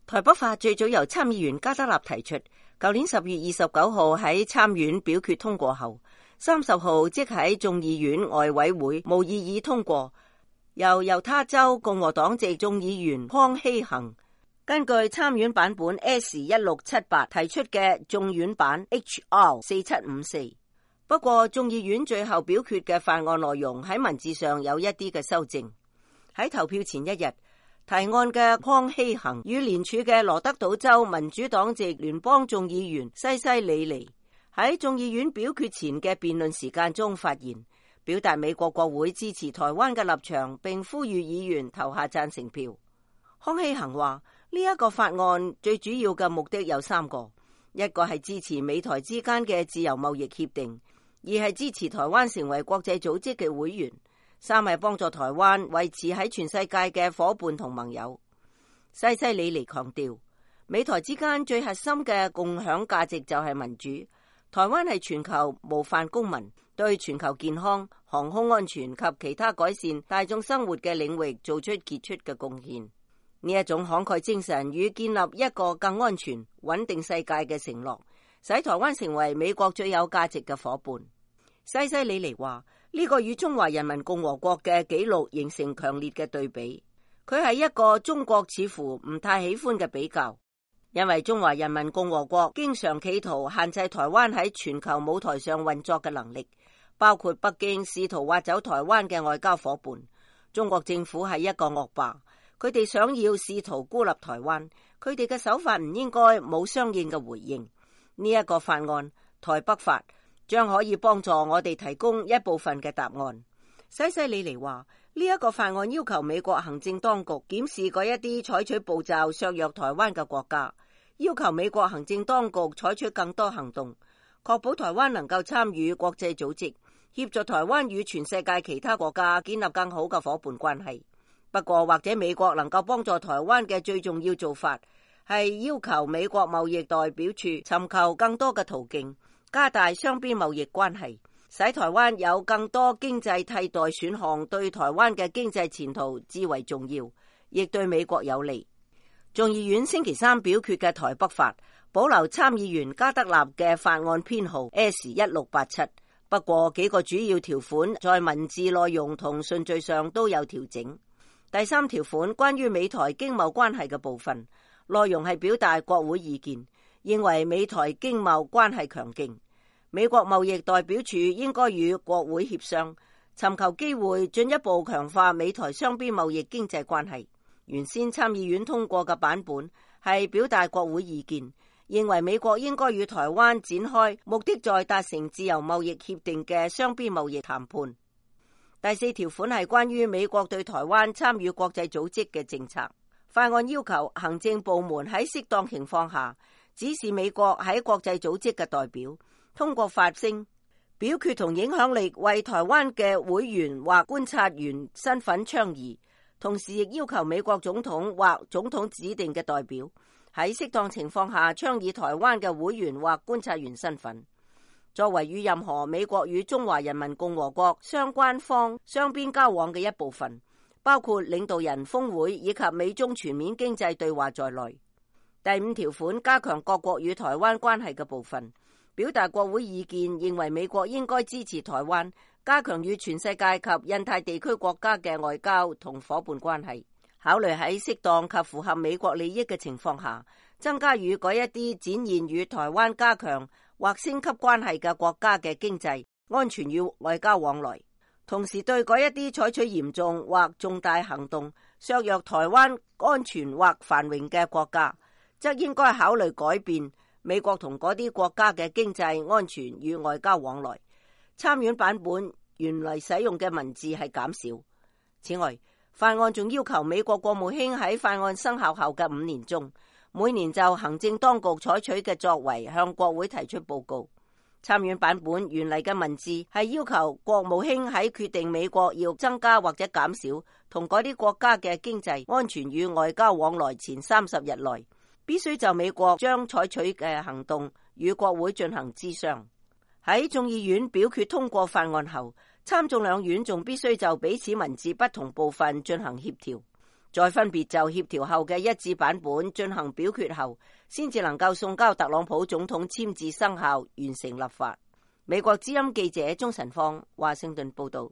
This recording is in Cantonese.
台北法最早由參議員加德納提出，舊年10月29號喺參院表決通過後，30號即喺眾議院外委會無異議通過，由猶他州共和黨籍眾議員康希恒根據參院版本 S1678 提出嘅眾院版 HR4754。不過眾議院最後表決嘅法案內容喺文字上有一啲嘅修正。喺投票前一日，提案嘅康希恒與連署嘅羅德島州民主黨籍聯邦眾議員西西里尼喺眾議院表決前嘅辯論時間中發言，表達美國國會支持台灣嘅立場，並呼籲議員投下贊成票。康希恒話呢一個法案最主要嘅目的有3個，一個係支持美台之間嘅自由貿易協定，2係支持台灣成為國際組織嘅會員，3係幫助台灣維持喺全世界嘅夥伴同盟友。西西里尼強調，美台之間最核心嘅共享價值就係民主。台灣係全球模範公民，對全球健康、航空安全及其他改善大眾生活嘅領域做出傑出嘅貢獻。呢一種慷慨精神與建立一個更安全、穩定世界嘅承諾，使台灣成為美國最有價值嘅夥伴。西西里尼話呢個與中華人民共和國嘅紀錄形成強烈嘅對比，佢係一個中國似乎唔太喜歡嘅比較，因為中華人民共和國經常企圖限制台灣喺全球舞台上運作嘅能力，包括北京試圖挖走台灣嘅外交夥伴。中國政府係一個惡霸，佢哋想要試圖孤立台灣，佢哋嘅手法唔應該冇相應嘅回應。呢一個法案台北法將可以幫助我哋提供一部分嘅答案。西西里尼話呢一個法案要求美國行政當局檢視嗰一啲採取步驟削弱台灣嘅國家，要求美國行政當局採取更多行動，確保台灣能夠參與國際組織，協助台灣與全世界其他國家建立更好嘅夥伴關係。不過或者美國能夠幫助台灣嘅最重要做法係要求美國貿易代表處尋求更多嘅途徑，加大雙邊貿易關係，使台灣有更多經濟替代選項，對台灣嘅經濟前途至為重要，亦對美國有利。眾議院星期3表決嘅台北法保留參議員加德納嘅法案編號 S1687， 不過幾個主要條款在文字內容同順序上都有調整。第3條款關於美台經貿關係嘅部分，內容係表達國會意見，認為美台經貿關係強勁，美國貿易代表處應該與國會協商，尋求機會進一步強化美台雙邊貿易經濟關係。原先參議院通過嘅版本係表達國會意見，認為美國應該與台灣展開目的在達成自由貿易協定嘅雙邊貿易談判。第4條款係關於美國對台灣參與國際組織嘅政策。法案要求行政部門喺適當情況下指示美國喺國際組織嘅代表，通過發聲、表決同影響力為台灣嘅會員或觀察員身份倡議，同時亦要求美國總統或總統指定嘅代表喺適當情況下倡議台灣嘅會員或觀察員身份。作為與任何美國與中華人民共和國相關方雙邊交往嘅一部分，包括領導人峰會以及美中全面經濟對話在內。第5條款加強各國與台灣關係嘅部分，表達國會意見，認為美國應該支持台灣加強與全世界及印太地區國家嘅外交同夥伴關係，考慮喺適當及符合美國利益嘅情況下，增加與嗰一啲展現與台灣加強或升級關係嘅國家嘅經濟、安全與外交往來，同時對嗰一啲採取嚴重或重大行動削弱台灣安全或繁榮嘅國家，則應該考慮改變美國同嗰啲國家嘅經濟、安全與外交往來。參院版本原來使用嘅文字係減少。此外，法案仲要求美國國務卿喺法案生效後嘅5年中，每年就行政當局採取嘅作為向國會提出報告。參院版本原嚟嘅文字係要求國務卿喺決定美國要增加或者減少同嗰啲國家嘅經濟、安全與外交往來前30日內，必須就美國將採取嘅行動與國會進行諮商。喺眾議院表決通過法案後，參眾兩院仲必須就彼此文字不同部分進行協調。再分別就協調後嘅一致版本進行表決後，先至能夠送交特朗普總統簽字生效，完成立法。美國之音記者鍾晨芳華盛頓報道。